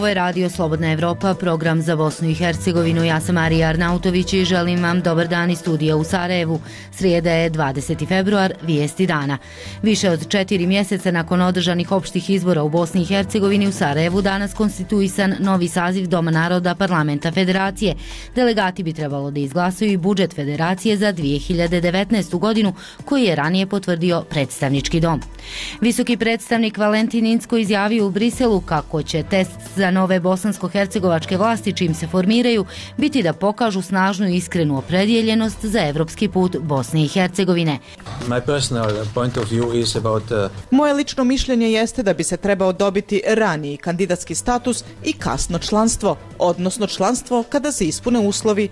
Ovo je Radio Slobodna Evropa, program za Bosnu i Hercegovinu. Ja sam Marija Arnautović i želim vam dobar dan iz studija u Sarajevu. Srijeda je 20. februar, vijesti dana. Više od 4 mjeseca nakon održanih opštih izbora u Bosni i Hercegovini u Sarajevu danas konstituisan novi saziv Doma naroda Parlamenta Federacije. Delegati bi trebalo da izglasuju i budžet Federacije za 2019. godinu koji je ranije potvrdio predstavnički dom. Visoki predstavnik Valentin Incko izjavio u Briselu kako će test za nove bosansko-hercegovačke vlasti čim se formiraju biti da pokažu snažnu i iskrenu opredjeljenost za evropski put Bosne i Hercegovine. Moje lično mišljenje jeste da bi se trebao dobiti raniji kandidatski status i kasno članstvo, odnosno članstvo kada se ispune uslovi.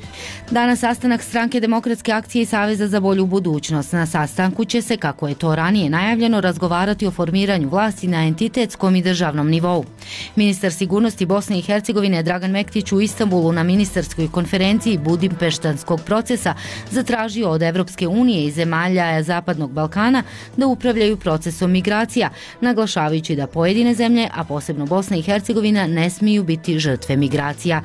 Danas sastanak Stranke demokratske akcije i Saveza za bolju budućnost. Na sastanku će se, kako je to ranije najavljeno, razgovarati o formiranju vlasti na entitetskom i državnom nivou. Ministar sigurnosti Bosne i Hercegovine Dragan Mektić u Istanbulu na ministarskoj konferenciji Budimpeštanskog procesa zatražio od Evropske unije i zemalja Zapadnog Balkana da upravljaju procesom migracija, naglašavajući da pojedine zemlje, a posebno Bosna i Hercegovina, ne smiju biti žrtve migracija.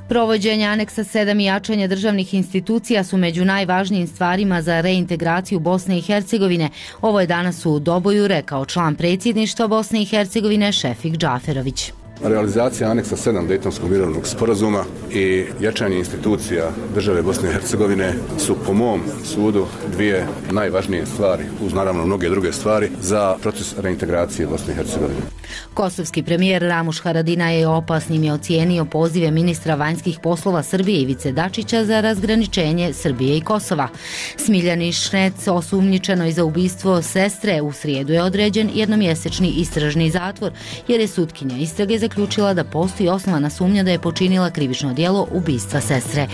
Provođenje aneksa 7 i jačanje državnih institucija su među najvažnijim stvarima za reintegraciju Bosne i Hercegovine. Ovo je danas u Doboju rekao član predsjedništva Bosne i Hercegovine Šefik Džaferović. Realizacija aneksa 7 Dejtonskog mirovnog sporazuma i jačanje institucija države Bosne i Hercegovine su po mom sudu dvije najvažnije stvari, uz naravno mnoge druge stvari, za proces reintegracije Bosne i Hercegovine. Kosovski premijer Ramuš Haradinaj je opasnim ocijenio pozive ministra vanjskih poslova Srbije Ivice Dačića za razgraničenje Srbije i Kosova. Smiljani Šnec, osumnjičenoj za ubistvo sestre, u srijedu je određen jednomjesečni istražni zatvor, jer je sutkinja istrage zaključila da postoji osnovana sumnja da je počinila krivično djelo ubistva sestre.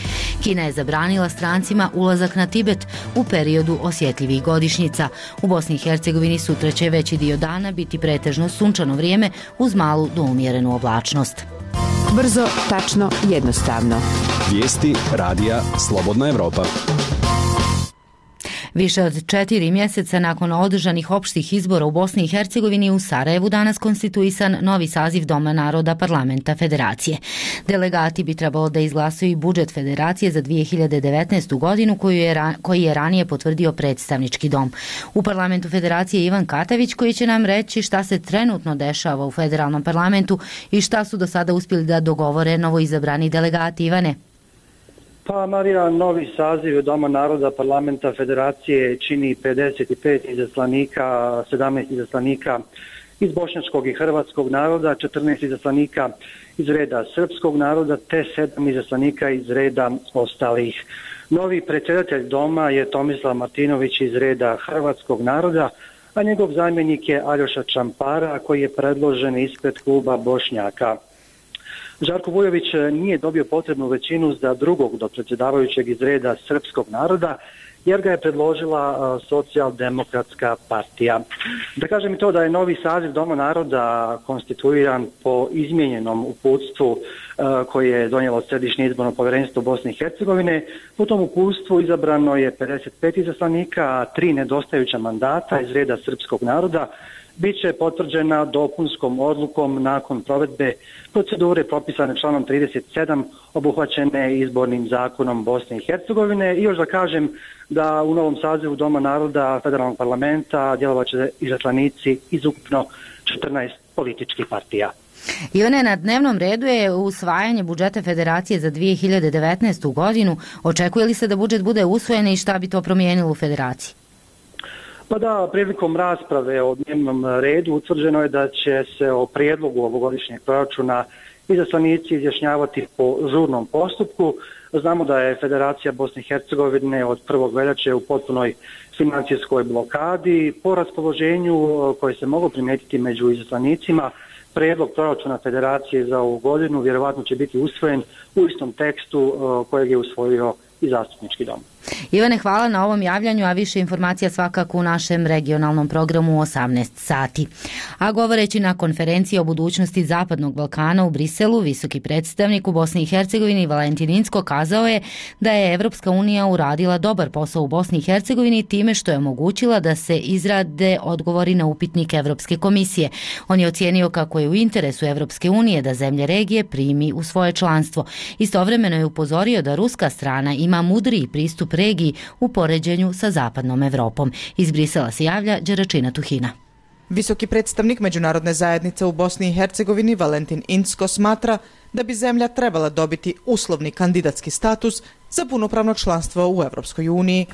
Kina je zabranila strancima ulazak na Tibet u periodu osjetljivih godišnjica. U Bosni i Hercegovini sutra će veći dio dana biti pretežno sunčano vrijeme uz malu do umjerenu oblačnost. Brzo, tačno, jednostavno. Vijesti Radija Slobodna Evropa. Više od 4 mjeseca nakon održanih opštih izbora u Bosni i Hercegovini u Sarajevu danas konstituisan novi saziv Doma naroda Parlamenta Federacije. Delegati bi trebalo da izglasuju i budžet Federacije za 2019. godinu koji je ranije potvrdio predstavnički dom. U Parlamentu Federacije Ivan Katavić koji će nam reći šta se trenutno dešava u federalnom parlamentu i šta su do sada uspjeli da dogovore novoizabrani delegati. Ivane. Pa Marija, novi saziv Doma naroda Parlamenta Federacije čini 55 izaslanika, 17 izaslanika iz bošnjačkog i hrvatskog naroda, 14 izaslanika iz reda srpskog naroda te 7 izaslanika iz reda ostalih. Novi predsjedatelj Doma je Tomislav Martinović iz reda hrvatskog naroda, a njegov zamjenik je Aljoša Čampara koji je predložen ispred kluba Bošnjaka. Žarko Vujović nije dobio potrebnu većinu za drugog dopredsjedavajućeg iz reda srpskog naroda, jer ga je predložila Socijaldemokratska partija. Da kažem i to da je novi saziv Doma naroda konstituiran po izmijenjenom uputstvu koje je donijelo Središnje izborno povjerenstvo Bosne i Hercegovine. U tom uputstvu izabrano je 55 izaslanika, a 3 nedostajuća mandata iz reda srpskog naroda biće potvrđena dopunskom odlukom nakon provedbe procedure propisane članom 37 obuhvaćene izbornim zakonom Bosne i Hercegovine. I još da kažem da u novom sazivu Doma naroda Federalnog parlamenta djelovaće izaslanici iz ukupno 14 političkih partija. Ivane, na dnevnom redu je usvajanje budžeta Federacije za 2019. godinu. Očekuje li se da budžet bude usvojen i šta bi to promijenilo u Federaciji? Pa da, prilikom rasprave o dnevnom redu utvrđeno je da će se o prijedlogu ovogodišnjeg proračuna izaslanici izjašnjavati po žurnom postupku. Znamo da je Federacija Bosne i Hercegovine od 1. veljače u potpunoj financijskoj blokadi. Po raspoloženju koje se moglo primijetiti među izaslanicima, prijedlog proračuna Federacije za ovu godinu vjerovatno će biti usvojen u istom tekstu kojeg je usvojio i zastupnički dom. Ivane, hvala na ovom javljanju, a više informacija svakako u našem regionalnom programu u 18 sati. A govoreći na konferenciji o budućnosti Zapadnog Balkana u Briselu, visoki predstavnik u Bosni i Hercegovini Valentin Incko kazao je da je Evropska unija uradila dobar posao u Bosni i Hercegovini time što je omogućila da se izrade odgovori na upitnik Evropske komisije. On je ocijenio kako je u interesu Evropske unije da zemlje regije primi u svoje članstvo. Istovremeno je upozorio da ruska strana ima mudriji pristup regiji u poređenju sa zapadnom Evropom. Iz Brisela se javlja Đeračina Tuhina. Visoki predstavnik međunarodne zajednice u Bosni i Hercegovini Valentin Incko smatra da bi zemlja trebala dobiti uslovni kandidatski status za punopravno članstvo u Evropskoj uniji.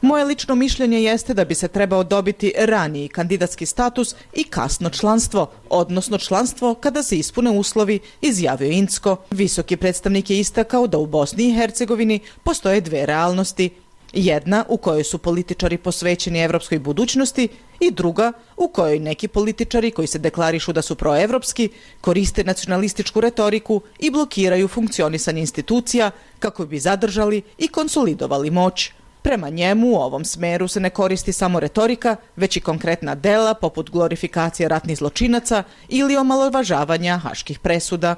Moje lično mišljenje jeste da bi se trebao dobiti raniji kandidatski status i kasno članstvo, odnosno članstvo kada se ispune uslovi, izjavio Incko. Visoki predstavnik je istakao da u Bosni i Hercegovini postoje dve realnosti. Jedna u kojoj su političari posvećeni evropskoj budućnosti i druga u kojoj neki političari koji se deklarišu da su proevropski koriste nacionalističku retoriku i blokiraju funkcionisanje institucija kako bi zadržali i konsolidovali moć. Prema njemu u ovom smeru se ne koristi samo retorika, već i konkretna dela poput glorifikacije ratnih zločinaca ili omalovažavanja haških presuda.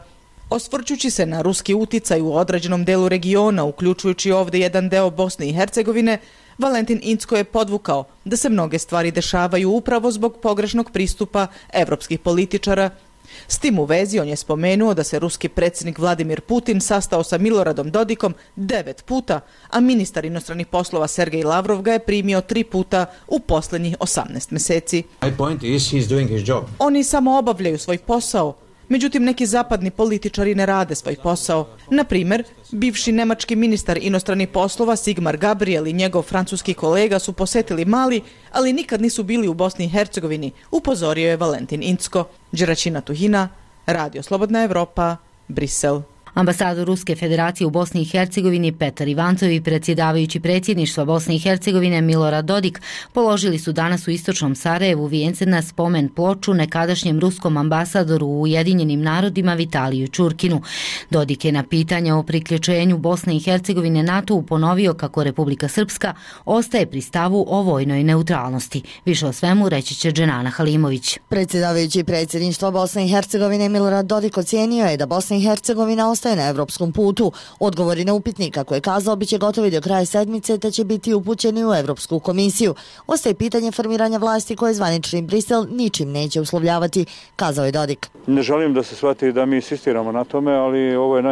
Osvrćući se na ruski uticaj u određenom delu regiona, uključujući ovdje jedan deo Bosne i Hercegovine, Valentin Incko je podvukao da se mnoge stvari dešavaju upravo zbog pogrešnog pristupa evropskih političara. S tim u vezi on je spomenuo da se ruski predsjednik Vladimir Putin sastao sa Miloradom Dodikom 9 puta, a ministar inostranih poslova Sergej Lavrov ga je primio 3 puta u posljednjih 18 mjeseci. Oni samo obavljaju svoj posao. Međutim, neki zapadni političari ne rade svoj posao. Na primjer, bivši nemački ministar inostranih poslova Sigmar Gabriel i njegov francuski kolega su posjetili Mali, ali nikad nisu bili u Bosni i Hercegovini, upozorio je Valentin Incko. Đeračina Tuhina, Radio Slobodna Evropa, Brisel. Ambasador Ruske federacije u Bosni i Hercegovini Petar Ivancov i predsjedavajući predsjedništva Bosne i Hercegovine Milorad Dodik položili su danas u istočnom Sarajevu vijence na spomen ploču nekadašnjem ruskom ambasadoru u Ujedinjenim narodima Vitaliju Čurkinu. Dodik je na pitanja o priključenju Bosne i Hercegovine NATO-u ponovio kako Republika Srpska ostaje pri stavu o vojnoj neutralnosti. Više o svemu reći će Dženana Halimović. Predsjedavajući predsjedništva Bosne i Hercegovine Milorad Dodik ocijenio je da Bosna i Hercegovina ostaje na evropskom putu. Odgovori na upitnik, kako je kazao, biće gotovi do kraja sedmice te će biti upućeni u Evropsku komisiju. Ostaje pitanje formiranja vlasti koje zvanični Brisel ničim neće uslovljavati, kazao je Dodik. Ne želim da se shvati da mi insistiramo na tome, ali ovo je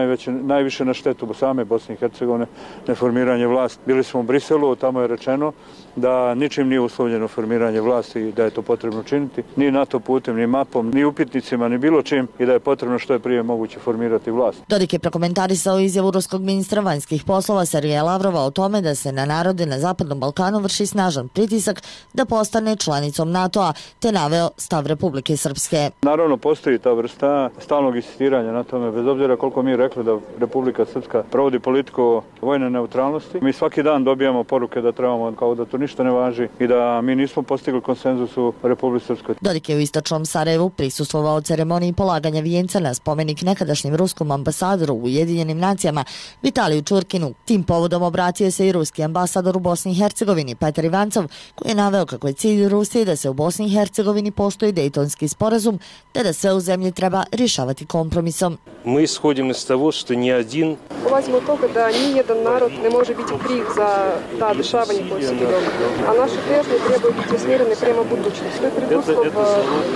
najviše na štetu same Bosne i Hercegovine, neformiranje vlasti. Bili smo u Briselu, tamo je rečeno da ničim nije uslovljeno formiranje vlasti i da je to potrebno činiti, ni NATO putem, ni mapom, ni upitnicima, ni bilo čim, i da je potrebno što je prije moguće formirati vlast. Dodik je prokomentarisao izjavu ruskog ministra vanjskih poslova Sergeja Lavrova o tome da se na narode na Zapadnom Balkanu vrši snažan pritisak da postane članicom NATO-a, te naveo stav Republike Srpske. Naravno, postoji ta vrsta stalnog insistiranja na tome, bez obzira koliko mi rekli da Republika Srpska provodi politiku vojne neutralnosti. Mi svaki dan dobijamo poruke da trebamo, kao da to ništa ne važi i da mi nismo postigli konsenzus u Republici Srpskoj. Dodik je u istočnom Sarajevu prisustvovao ceremoniji polaganja vijenca na spomenik nekadašnjem ruskom ambasadoru u Ujedinjenim nacijama Vitaliju Čurkinu. Tim povodom obratio se i ruski ambasador u Bosni i Hercegovini Petar Ivancov, koji je naveo kako je cilj Rusije da se u Bosni i Hercegovini postoji Dejtonski sporazum, te da sve u zemlji treba rješavati kompromisom. Mi ishodimo iz stavu što nijedin... Polazimo od toga da nijedan narod ne može biti kriv za ta dešavanja koje se događaju, a naše težnje trebaju biti usmjerene prema budućnosti. To je preduslov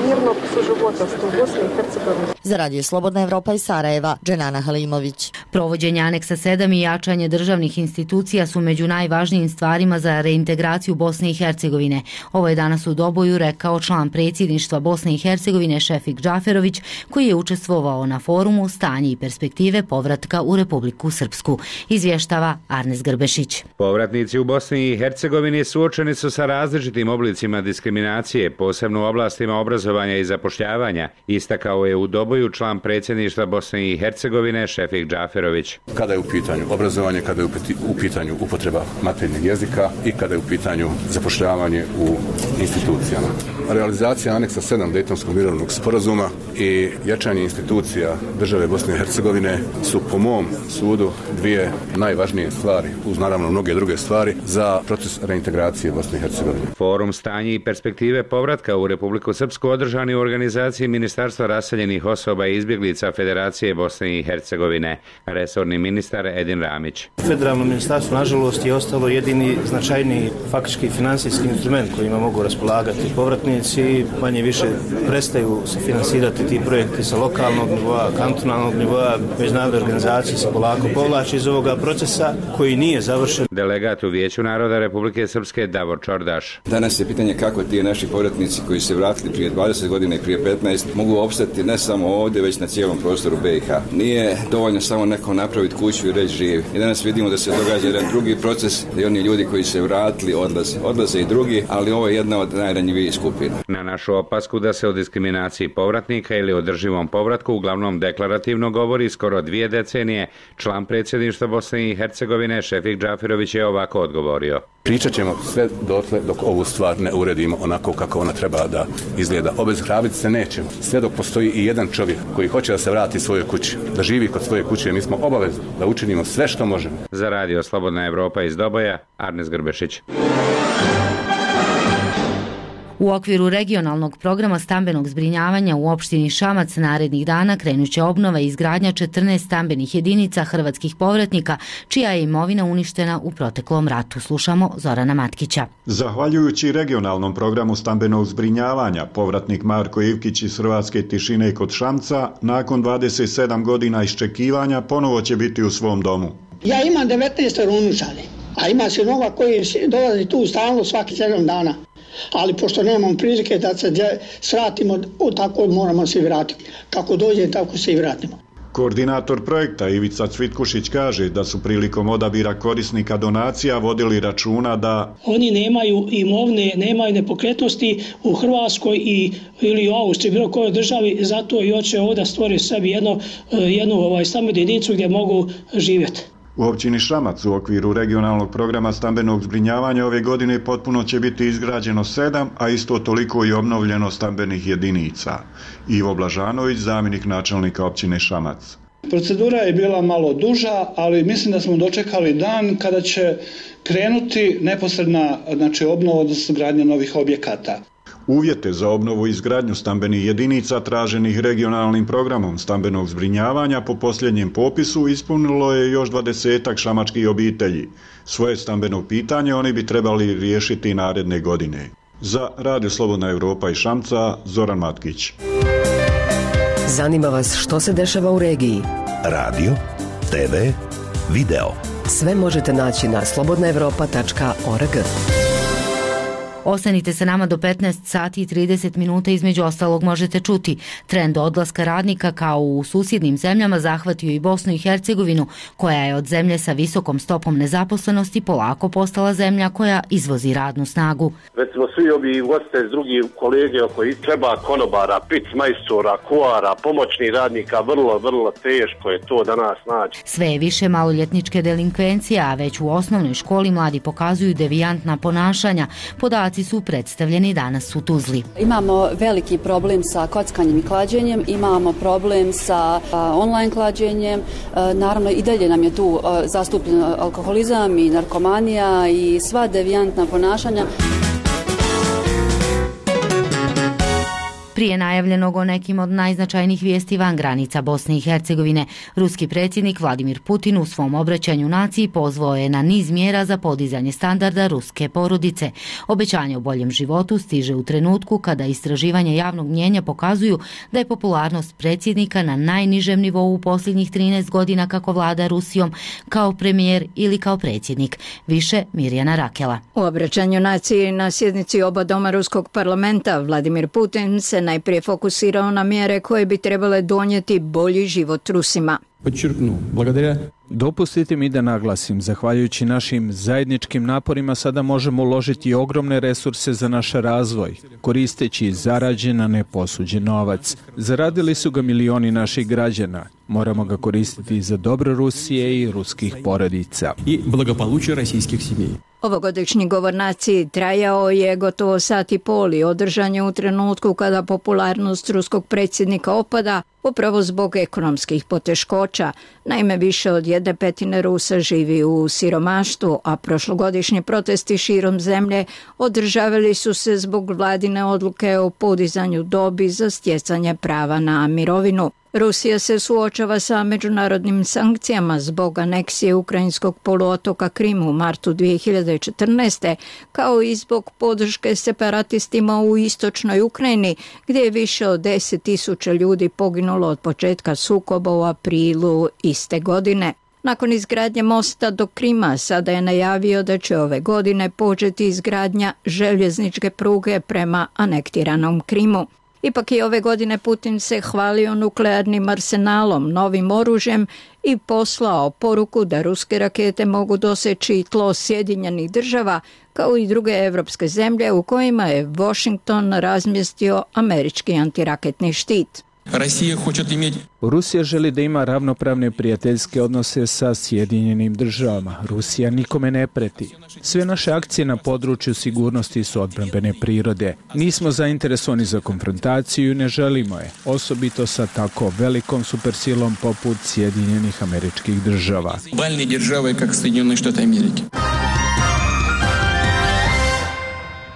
mirnog suživotavstva u Bosni i Hercegovini. Za Radio Slobodna Evropa iz Sarajeva, Dženana Halimović. Provođenje aneksa 7 i jačanje državnih institucija su među najvažnijim stvarima za reintegraciju Bosne i Hercegovine. Ovo je danas u Doboju rekao član predsjedništva Bosne i Hercegovine Šefik Džaferović, koji je učestvovao na forumu Stanje i perspektive povratka u Republiku Srpsku. Izvještava Arnes Grbešić. Povratnici u Bosni i Hercegovini suočeni su sa različitim oblicima diskriminacije, posebno u oblastima obrazovanja i zapošljavanja, istakao je u Doboju član predsjedništva Bosne i Hercegovine Šefik Džaferović. Kada je u pitanju obrazovanje, kada je u pitanju upotreba materinjeg jezika i kada je u pitanju zapošljavanje u institucijama. Realizacija aneksa 7 Dejtonskog mirovnog sporazuma i jačanje institucija države Bosne i Hercegovine su po mom sudu dvije najvažnije stvari, uz naravno mnoge druge stvari, za proces reintegracije Bosne i Hercegovine. Forum stanje i perspektive povratka u Republiku Srpsku održani u organizaciji Ministarstva raseljenih osoba i izbjeglica Federacije Bosne i Hercegovine. Resorni ministar Edin Ramić. Federalno ministarstvo, nažalost, je ostalo jedini značajni faktički financijski instrument kojima mogu raspolagati povratnici. Manje više prestaju se finansirati ti projekti sa lokalnog nivoa, kantonalnog nivoa, međunarodne organizacije se polako povlači iz ovoga procesa koji nije završen. Delegat u Vijeću naroda Republike Srpske Davor Čordaš. Danas je pitanje kako ti naši povratnici koji se vratili prije 20 godina i prije 15 mogu opstati ne samo ovdje, već na cijelom prostoru BiH. Nije dovoljno samo nekom napraviti kuću i reći živi. I danas vidimo da se događa jedan drugi proces, da oni ljudi koji se vratili odlaze i drugi, ali ovo je jedna od najranjivijih skupina. Na našu opasku da se o diskriminaciji povratnika ili održivom povratku uglavnom deklarativno govori skoro 2 decenije, član predsjedništva Bosne i Hercegovine Šefik Džafirović je ovako odgovorio. Pričat ćemo sve dotle dok ovu stvar ne uredimo onako kako ona treba da izgleda. Obezhrabiti se nećemo. Sve dok postoji i jedan čovjek koji hoće da se vrati svojoj kući, da živi kod svoje kuće, mi smo obavezni da učinimo sve što možemo. Za radio Slobodna Evropa iz Doboja, Arnes Grbešić. U okviru regionalnog programa stambenog zbrinjavanja u opštini Šamac narednih dana krenut će obnova i izgradnja 14 stambenih jedinica hrvatskih povratnika, čija je imovina uništena u proteklom ratu. Slušamo Zorana Matkića. Zahvaljujući regionalnom programu stambenog zbrinjavanja, povratnik Marko Ivkić iz Hrvatske Tišine kod Šamca, nakon 27 godina iščekivanja, ponovo će biti u svom domu. Ja imam 19 unučane, a ima sinova koji dolazi tu stalno svaki 7 dana. Ali pošto nemam prilike da se svratimo, tako moramo se vratiti. Kako dođe, tako se i vratimo. Koordinator projekta Ivica Cvitkušić kaže da su prilikom odabira korisnika donacija vodili računa da oni nemaju imovne, nemaju nepokretnosti u Hrvatskoj ili u Austriji, bilo kojoj državi, zato i hoće ovdje stvoriti sebi jednu stambenu jedinicu gdje mogu živjeti. U općini Šamac u okviru regionalnog programa stambenog zbrinjavanja ove godine potpuno će biti izgrađeno 7, a isto toliko i obnovljeno stambenih jedinica. Ivo Blažanović, zamjenik načelnika općine Šamac. Procedura je bila malo duža, ali mislim da smo dočekali dan kada će krenuti neposredna obnova, odnosno gradnja novih objekata. Uvjete za obnovu i izgradnju stambenih jedinica traženih regionalnim programom stambenog zbrinjavanja po posljednjem popisu ispunilo je još 20 šamačkih obitelji. Svoje stambeno pitanje oni bi trebali riješiti naredne godine. Za Radio Slobodna Evropa i Šamca, Zoran Matkić. Zanima vas što se dešava u regiji? Radio, TV, video. Sve možete naći na slobodnaevropa.org. Ostanite sa nama do 15 sati i 30 minuta, između ostalog možete čuti. Trend odlaska radnika kao u susjednim zemljama zahvatio i Bosnu i Hercegovinu, koja je od zemlje sa visokom stopom nezaposlenosti polako postala zemlja koja izvozi radnu snagu. Već smo svi ovi goste, drugi kolege koji treba konobara, pic majstora, kuara, pomoćnih radnika, vrlo teško je to danas naći. Sve je više maloljetničke delinkvencije, a već u osnovnoj školi mladi pokazuju devijantna ponašanja. Podaci su predstavljeni danas u Tuzli. Imamo veliki problem sa kockanjem i klađenjem, imamo problem sa online klađenjem, naravno i dalje nam je tu zastupljen alkoholizam i narkomanija i sva devijantna ponašanja. Prije najavljenog o nekim od najznačajnijih vijesti van granica Bosne i Hercegovine, ruski predsjednik Vladimir Putin u svom obraćanju naciji pozvao je na niz mjera za podizanje standarda ruske porodice. Obećanje o boljem životu stiže u trenutku kada istraživanja javnog mnijenja pokazuju da je popularnost predsjednika na najnižem nivou u posljednjih 13 godina kako vlada Rusijom, kao premijer ili kao predsjednik. Više Mirjana Rakela. U obraćanju naciji na sjednici oba doma ruskog parlamenta Vladimir Putin se najprije fokusirao na mjere koje bi trebale donijeti bolji život Rusima. Dopustite mi da naglasim, zahvaljujući našim zajedničkim naporima sada možemo uložiti ogromne resurse za naš razvoj, koristeći zarađen, a ne posuđen novac. Zaradili su ga milioni naših građana. Moramo ga koristiti za dobro Rusije i ruskih porodica. Ovogodišnji govor naciji trajao je gotovo sat i pol i održan je u trenutku kada popularnost ruskog predsjednika opada, upravo zbog ekonomskih poteškoća. Naime, više od 1/5 Rusa živi u siromaštvu, a prošlogodišnji protesti širom zemlje održavali su se zbog vladine odluke o podizanju dobi za stjecanje prava na mirovinu. Rusija se suočava sa međunarodnim sankcijama zbog aneksije ukrajinskog poluotoka Krim u martu 2014. kao i zbog podrške separatistima u istočnoj Ukrajini, gdje je više od 10.000 ljudi poginulo od početka sukoba u aprilu iste godine. Nakon izgradnje mosta do Krima sada je najavio da će ove godine početi izgradnja željezničke pruge prema anektiranom Krimu. Ipak i ove godine Putin se hvalio nuklearnim arsenalom, novim oružjem i poslao poruku da ruske rakete mogu doseći tlo Sjedinjenih država kao i druge evropske zemlje u kojima je Washington razmjestio američki antiraketni štit. Rusija želi da ima ravnopravne prijateljske odnose sa Sjedinjenim državama. Rusija nikome ne preti. Sve naše akcije na području sigurnosti su odbrambene prirode. Nismo zainteresovani za konfrontaciju i ne želimo je, osobito sa tako velikom supersilom poput Sjedinjenih Američkih Država.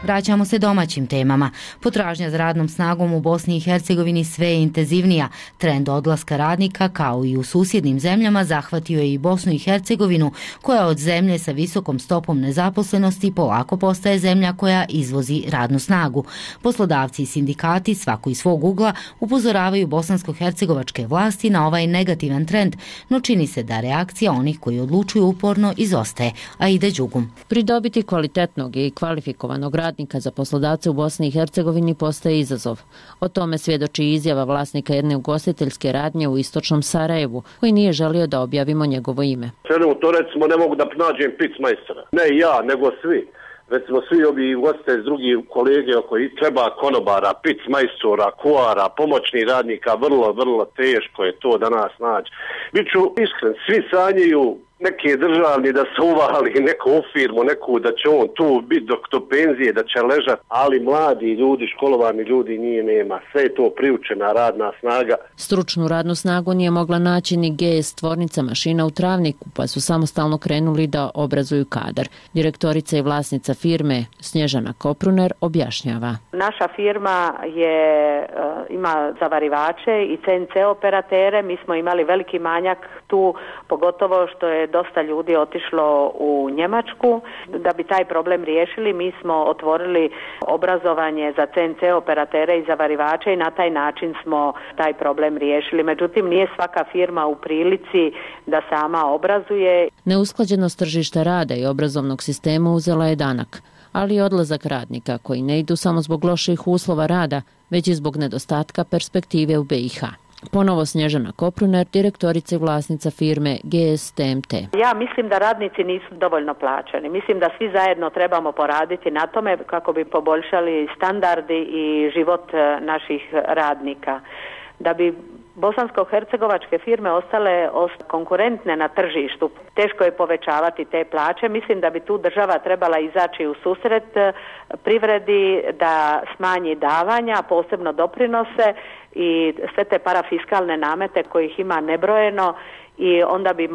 Vraćamo se domaćim temama. Potražnja za radnom snagom u Bosni i Hercegovini sve je intenzivnija. Trend odlaska radnika, kao i u susjednim zemljama, zahvatio je i Bosnu i Hercegovinu, koja od zemlje sa visokom stopom nezaposlenosti polako postaje zemlja koja izvozi radnu snagu. Poslodavci i sindikati, svako iz svog ugla, upozoravaju bosansko-hercegovačke vlasti na ovaj negativan trend, no čini se da reakcija onih koji odlučuju uporno izostaje. Aida Đugum. Pridobiti kvalitetnog i kvalifikovanog radnika za poslodavce u Bosni i Hercegovini postaje izazov. O tome svjedoči izjava vlasnika jedne ugostiteljske radnje u istočnom Sarajevu, koji nije želio da objavimo njegovo ime. To recimo ne mogu da nađem picmajstora. Ne ja, nego svi. Recimo svi ovi ugostitelji, drugi kolege koji treba konobara, picmajstora, kuara, pomoćnih radnika, vrlo teško je to danas naći. Biću iskren, svi sanjaju neke državni da se uvali neku firmu, neku da će on tu biti do penzije, da će ležati, ali mladi ljudi, školovani ljudi nema. Sve je to priučena radna snaga. Stručnu radnu snagu nije mogla naći ni GS tvornica mašina u Travniku, pa su samostalno krenuli da obrazuju kadar. Direktorica i vlasnica firme Snježana Kopruner objašnjava. Naša firma ima zavarivače i CNC operatere. Mi smo imali veliki manjak tu, pogotovo što je dosta ljudi otišlo u Njemačku. Da bi taj problem riješili, mi smo otvorili obrazovanje za CNC operatere i zavarivače i na taj način smo taj problem riješili. Međutim, nije svaka firma u prilici da sama obrazuje. Neusklađenost tržišta rada i obrazovnog sistema uzela je danak, ali i odlazak radnika koji ne idu samo zbog loših uslova rada, već i zbog nedostatka perspektive u BiH. Ponovo Snježana Kopruner, direktorica i vlasnica firme GS TMT. Ja mislim da radnici nisu dovoljno plaćeni. Mislim da svi zajedno trebamo poraditi na tome kako bi poboljšali standardi i život naših radnika. Da bi bosansko-hercegovačke firme ostale konkurentne na tržištu, teško je povećavati te plaće. Mislim da bi tu država trebala izaći u susret privredi, da smanji davanja, posebno doprinose i sve te parafiskalne namete kojih ima nebrojeno, i onda bi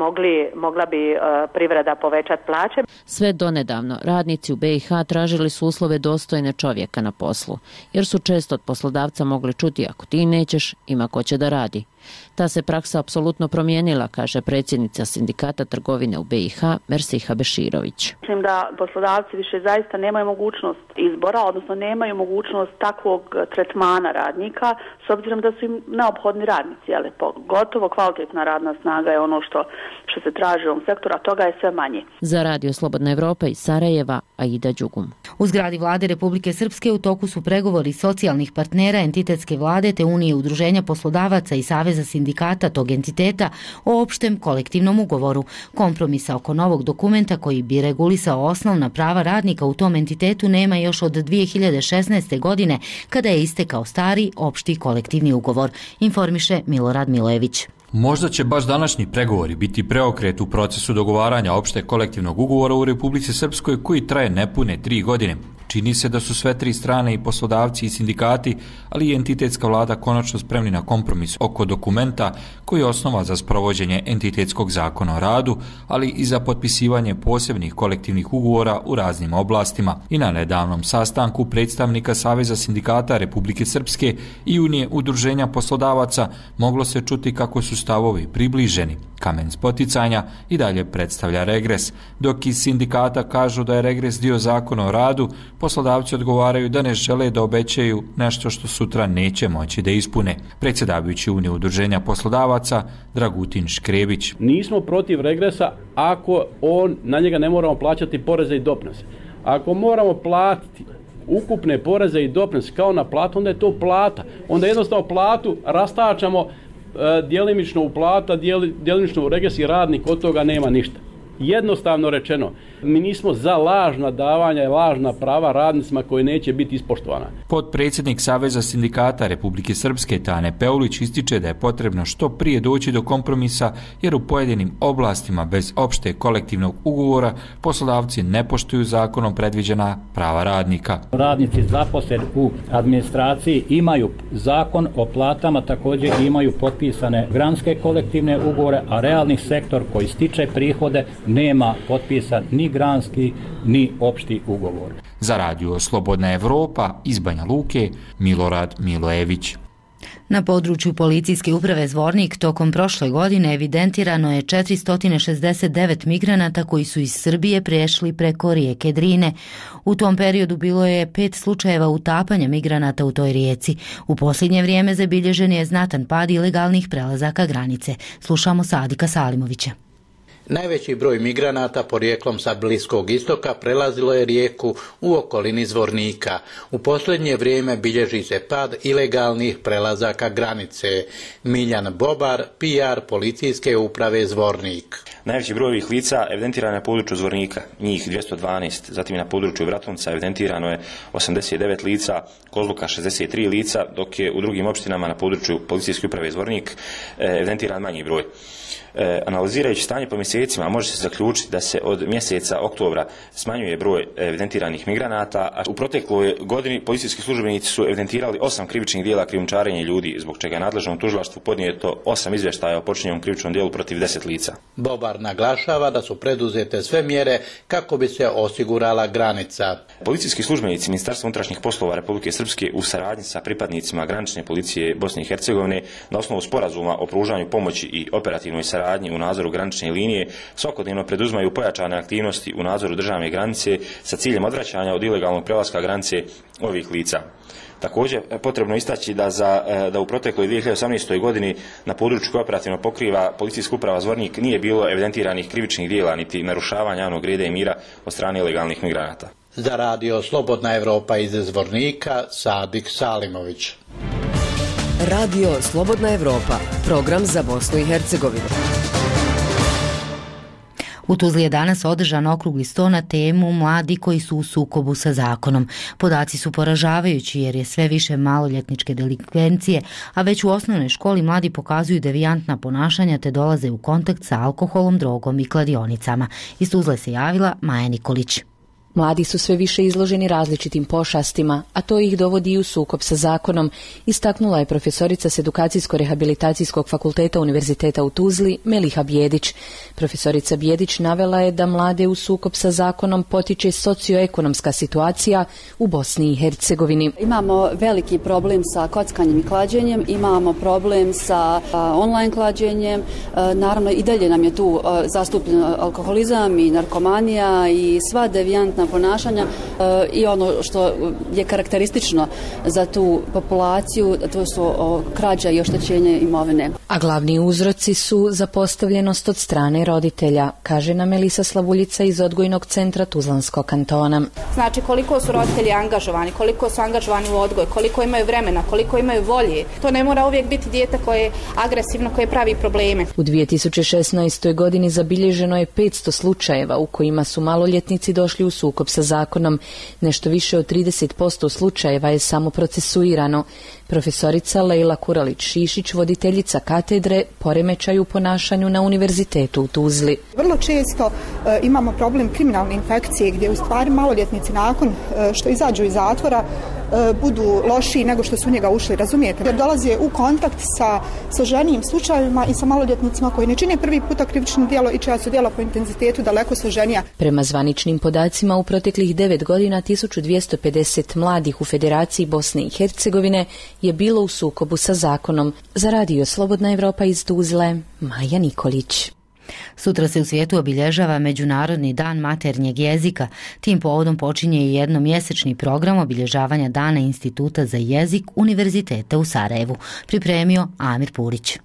mogla bi privreda povećati plaće. Sve donedavno radnici u BiH tražili su uslove dostojne čovjeka na poslu, jer su često od poslodavca mogli čuti: ako ti nećeš, ima ko će da radi. Ta se praksa apsolutno promijenila, kaže predsjednica Sindikata trgovine u BiH Mersiha Beširović. Mislim da poslodavci više zaista nemaju mogućnost izbora, odnosno nemaju mogućnost takvog tretmana radnika, s obzirom da su im neophodni radnici, ali pogotovo kvalitetna radna snaga je ono što se traži u ovom sektoru, a toga je sve manje. Za Radio Slobodna Evropa iz Sarajeva, Aida Đugum. U zgradi vlade Republike Srpske u toku su pregovori socijalnih partnera, entitetske vlade te Unije udruženja poslodavaca i Saveza sindikata tog entiteta o opštem kolektivnom ugovoru. Kompromisa oko novog dokumenta koji bi regulisao osnovna prava radnika u tom entitetu nema još od 2016. godine, kada je istekao stari opšti kolektivni ugovor, informiše Milorad Milojević. Možda će baš današnji pregovori biti preokret u procesu dogovaranja opšte kolektivnog ugovora u Republici Srpskoj koji traje nepune 3 godine. Čini se da su sve 3 strane, i poslodavci i sindikati, ali i entitetska vlada konačno spremni na kompromis oko dokumenta koji je osnova za sprovođenje entitetskog zakona o radu, ali i za potpisivanje posebnih kolektivnih ugovora u raznim oblastima. I na nedavnom sastanku predstavnika Saveza sindikata Republike Srpske i Unije udruženja poslodavaca moglo se čuti kako su stavovi približeni. Kamen spoticanja i dalje predstavlja regres. Dok iz sindikata kažu da je regres dio zakona o radu, poslodavci odgovaraju da ne žele da obećaju nešto što sutra neće moći da ispune. Predsjedavajući Unije udruženja poslodavaca Dragutin Škrebić. Nismo protiv regresa ako na njega ne moramo plaćati poreze i doprinose. Ako moramo platiti ukupne poreze i doprinose kao na platu, onda je to plata. Onda jednostavno platu rastačamo djelimično u plata, djelimično u regres i radnik od toga nema ništa. Jednostavno rečeno, mi nismo za lažna davanja i lažna prava radnicima koji neće biti ispoštovana. Potpredsjednik Saveza sindikata Republike Srpske Tane Peulić ističe da je potrebno što prije doći do kompromisa, jer u pojedinim oblastima bez opšte kolektivnog ugovora poslodavci ne poštuju zakonom predviđena prava radnika. Radnici zaposleni u administraciji imaju zakon o platama, također imaju potpisane granske kolektivne ugovore, a realni sektor koji stiče prihode nema potpisan ni granski ni opšti ugovor. Za radio Slobodna Evropa iz Banja Luke, Milorad Milojević. Na području policijske uprave Zvornik tokom prošle godine evidentirano je 469 migranata koji su iz Srbije prešli preko rijeke Drine. U tom periodu bilo je 5 slučajeva utapanja migranata u toj rijeci. U posljednje vrijeme zabilježen je znatan pad ilegalnih prelazaka granice. Slušamo Sadika Salimovića. Najveći broj migranata porijeklom sa Bliskog istoka prelazilo je rijeku u okolini Zvornika. U posljednje vrijeme bilježi se pad ilegalnih prelazaka granice. Miljan Bobar, PR policijske uprave Zvornik. Najveći broj ovih lica evidentiran je na području Zvornika, njih 212, zatim na području Vratunca evidentirano je 89 lica, Kozluka 63 lica, dok je u drugim opštinama na području policijske uprave Zvornik evidentiran manji broj. Analizirajući stanje po mjesecima može se zaključiti da se od mjeseca oktobra smanjuje broj evidentiranih migranata, a u protekloj godini policijski službenici su evidentirali 8 krivičnih djela krijumčarenja ljudi, zbog čega je nadležnom tužilaštvu podnijeto 8 izvještaja o počinjenom krivičnom djelu protiv 10 lica. Bobar naglašava da su preduzete sve mjere kako bi se osigurala granica. Policijski službenici Ministarstva unutrašnjih poslova Republike Srpske u saradnji sa pripadnicima granične policije Bosne i Hercegovine na osnovu sporazuma o pružanju pomoći i operativnoj saradnji u nadzoru granične linije svakodnevno preduzmaju pojačane aktivnosti u nadzoru državne granice sa ciljem odvraćanja od ilegalnog prelaska granice ovih lica. Također, potrebno istaći da u protekloj 2018. godini na području koje operativno pokriva policijska uprava Zvornik nije bilo evidentiranih krivičnih djela niti narušavanja javnog reda i mira od strane ilegalnih migranata. Za radio Slobodna Evropa iz Zvornika, Sadik Salimović. Radio Slobodna Evropa, program za Bosnu i Hercegovinu. U Tuzli je danas održan okrugli sto na temu mladi koji su u sukobu sa zakonom. Podaci su poražavajući jer je sve više maloljetničke delikvencije, a već u osnovnoj školi mladi pokazuju devijantna ponašanja te dolaze u kontakt sa alkoholom, drogom i kladionicama. Iz Tuzle se javila Maja Nikolić. Mladi su sve više izloženi različitim pošastima, a to ih dovodi i u sukob sa zakonom, istaknula je profesorica s Edukacijsko-rehabilitacijskog fakulteta Univerziteta u Tuzli, Meliha Bijedić. Profesorica Bijedić navela je da mlade u sukob sa zakonom potiče socioekonomska situacija u Bosni i Hercegovini. Imamo veliki problem sa kockanjem i klađenjem, imamo problem sa online klađenjem, naravno i dalje nam je tu zastupljen alkoholizam i narkomanija i sva devijantna ponašanja i ono što je karakteristično za tu populaciju, to su krađa i oštećenje imovine. A glavni uzroci su zapostavljenost od strane roditelja, kaže nam Elisa Slavuljica iz odgojnog centra Tuzlanskog kantona. Znači koliko su roditelji angažovani, koliko su angažovani u odgoj, koliko imaju vremena, koliko imaju volje. To ne mora uvijek biti dijete koje je agresivno, koje pravi probleme. U 2016. godini zabilježeno je 500 slučajeva u kojima su maloljetnici došli u sukob sukob sa zakonom. Nešto više od 30% slučajeva je samo procesuirano. Profesorica Lejla Kuralić-Šišić, voditeljica katedre poremećaju u ponašanju na Univerzitetu u Tuzli. Vrlo često imamo problem kriminalne infekcije gdje u stvari maloljetnici nakon što izađu iz zatvora budu lošiji nego što su u njega ušli, razumijete? Jer dolaze u kontakt sa složenijim slučajevima i sa maloljetnicima koji ne čine prvi puta krivično djelo i čija su djela po intenzitetu daleko složenija. Prema zvaničnim podacima, u proteklih 9 godina 1250 mladih u Federaciji Bosne i Hercegovine je bilo u sukobu sa zakonom. Za Radio Slobodna Evropa iz Tuzle, Maja Nikolić. Sutra se u svijetu obilježava Međunarodni dan maternjeg jezika. Tim povodom počinje i jednomjesečni program obilježavanja Dana Instituta za jezik Univerziteta u Sarajevu. Pripremio Amir Purić.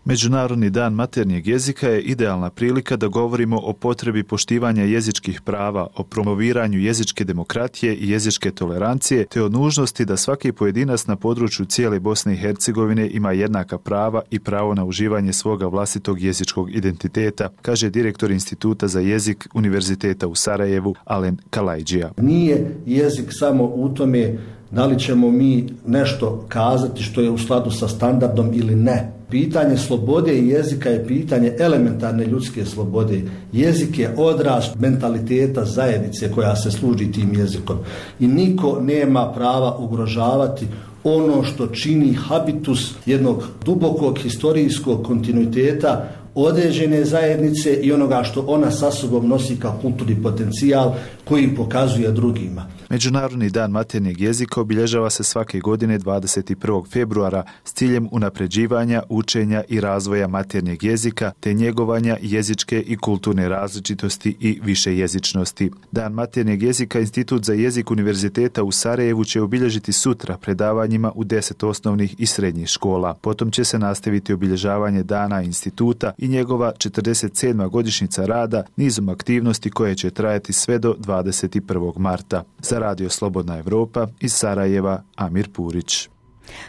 Međunarodni dan maternjeg jezika je idealna prilika da govorimo o potrebi poštivanja jezičkih prava, o promoviranju jezičke demokratije i jezičke tolerancije, te o nužnosti da svaki pojedinac na području cijele Bosne i Hercegovine ima jednaka prava i pravo na uživanje svoga vlastitog jezičkog identiteta, kaže direktor Instituta za jezik Univerziteta u Sarajevu, Alen Kalajđija. Nije jezik samo u tome da li ćemo mi nešto kazati što je u skladu sa standardom ili ne. Pitanje slobode i jezika je pitanje elementarne ljudske slobode. Jezik je odraz mentaliteta zajednice koja se služi tim jezikom. I niko nema prava ugrožavati ono što čini habitus jednog dubokog historijskog kontinuiteta određene zajednice i onoga što ona sa sobom nosi kao kulturni potencijal koji pokazuje drugima. Međunarodni dan maternjeg jezika obilježava se svake godine 21. februara s ciljem unapređivanja, učenja i razvoja maternjeg jezika te njegovanja jezičke i kulturne različitosti i višejezičnosti. Dan maternjeg jezika Institut za jezik Univerziteta u Sarajevu će obilježiti sutra predavanjima u 10 osnovnih i srednjih škola. Potom će se nastaviti obilježavanje Dana instituta i njegova 47. godišnjica rada nizom aktivnosti koje će trajati sve do 21. marta. Za Radio Slobodna Evropa iz Sarajeva, Amir Purić.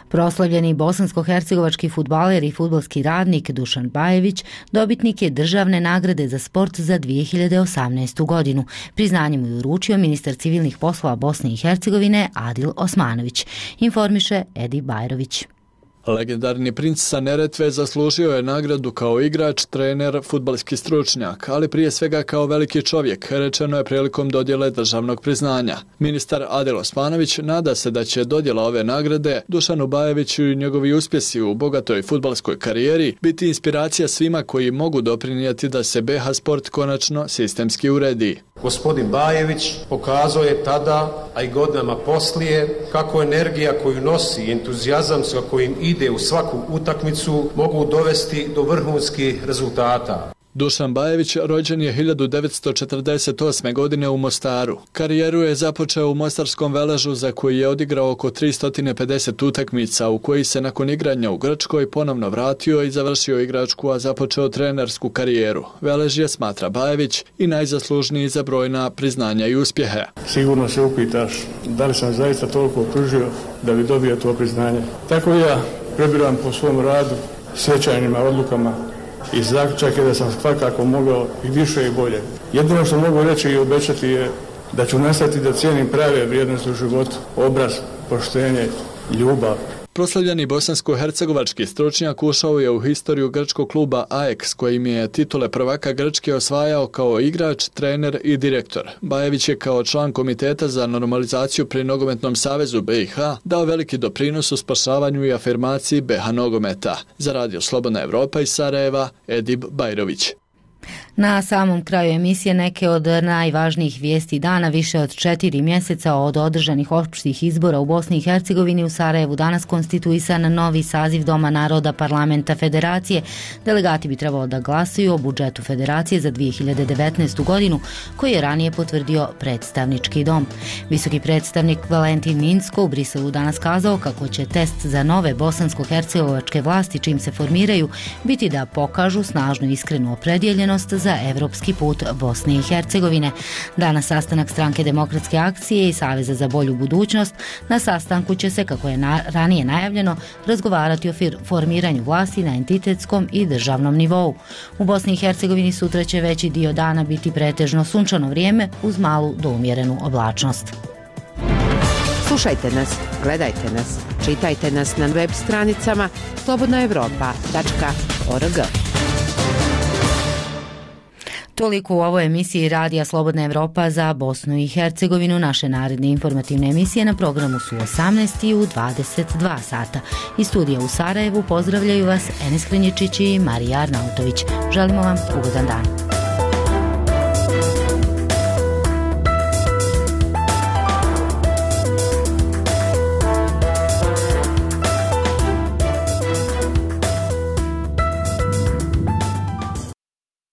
Proslavljeni bosansko-hercegovački fudbaler i fudbalski radnik Dušan Bajević dobitnik je državne nagrade za sport za 2018. godinu. Priznanje mu je uručio ministar civilnih poslova Bosne i Hercegovine Adil Osmanović, informiše Edi Bajrović. Legendarni princ sa Neretve zaslužio je nagradu kao igrač, trener, fudbalski stručnjak, ali prije svega kao veliki čovjek, rečeno je prilikom dodjele državnog priznanja. Ministar Adil Osmanović nada se da će dodjela ove nagrade Dušanu Bajeviću i njegovi uspjesi u bogatoj fudbalskoj karijeri biti inspiracija svima koji mogu doprinijeti da se BH sport konačno sistemski uredi. Gospodin Bajević pokazao je tada, a i godinama poslije, kako energija koju nosi, entuzijazam sa kojim ide u svaku utakmicu mogu dovesti do vrhunskih rezultata. Dušan Bajević rođen je 1948. godine u Mostaru. Karijeru je započeo u Mostarskom Veležu za koji je odigrao oko 350 utakmica, u koji se nakon igranja u Grčkoj ponovno vratio i završio igračku, a započeo trenersku karijeru. Velež je, smatra Bajević, i najzaslužniji za brojna priznanja i uspjehe. Sigurno se upitaš da li sam zaista toliko pružio da bi dobio to priznanje. Tako ja prebiram po svom radu, svečanjima, odlukama, i zaključak je da sam svakako mogao i više i bolje. Jedino što mogu reći i obećati je da ću nastaviti da cijenim prave vrijednosti u životu, obraz, poštenje, ljubav. Proslavljeni bosansko-hercegovački stručnjak ušao je u historiju grčkog kluba AEK, kojim je titule prvaka Grčke osvajao kao igrač, trener i direktor. Bajević je kao član Komiteta za normalizaciju pri Nogometnom savezu BiH dao veliki doprinos u spašavanju i afirmaciji BiH nogometa. Za Radio Slobodna Evropa iz Sarajeva, Edib Bajrović. Na samom kraju emisije neke od najvažnijih vijesti dana. Više od 4 mjeseca od održanih opštih izbora u Bosni i Hercegovini u Sarajevu danas konstituisan novi saziv Doma naroda Parlamenta Federacije. Delegati bi trebalo da glasuju o budžetu Federacije za 2019. godinu koji je ranije potvrdio predstavnički dom. Visoki predstavnik Valentin Minsko u Briselu danas kazao kako će test za nove bosansko-hercegovačke vlasti čim se formiraju biti da pokažu snažnu iskrenu opredjeljenost za evropski put Bosne i Hercegovine. Danas sastanak Stranke demokratske akcije i Saveza za bolju budućnost. Na sastanku će se, kako je ranije najavljeno, razgovarati o formiranju vlasti na entitetskom i državnom nivou. U Bosni i Hercegovini sutra će veći dio dana biti pretežno sunčano vrijeme uz malu do umjerenu oblačnost. Slušajte nas, gledajte nas, čitajte nas na web stranicama slobodnaevropa.org. Toliko u ovoj emisiji Radija Slobodna Evropa za Bosnu i Hercegovinu. Naše naredne informativne emisije na programu su 18 i u 22 sata. Iz studija u Sarajevu pozdravljaju vas Enes Krenječić i Marija Arnautović. Želimo vam ugodan dan.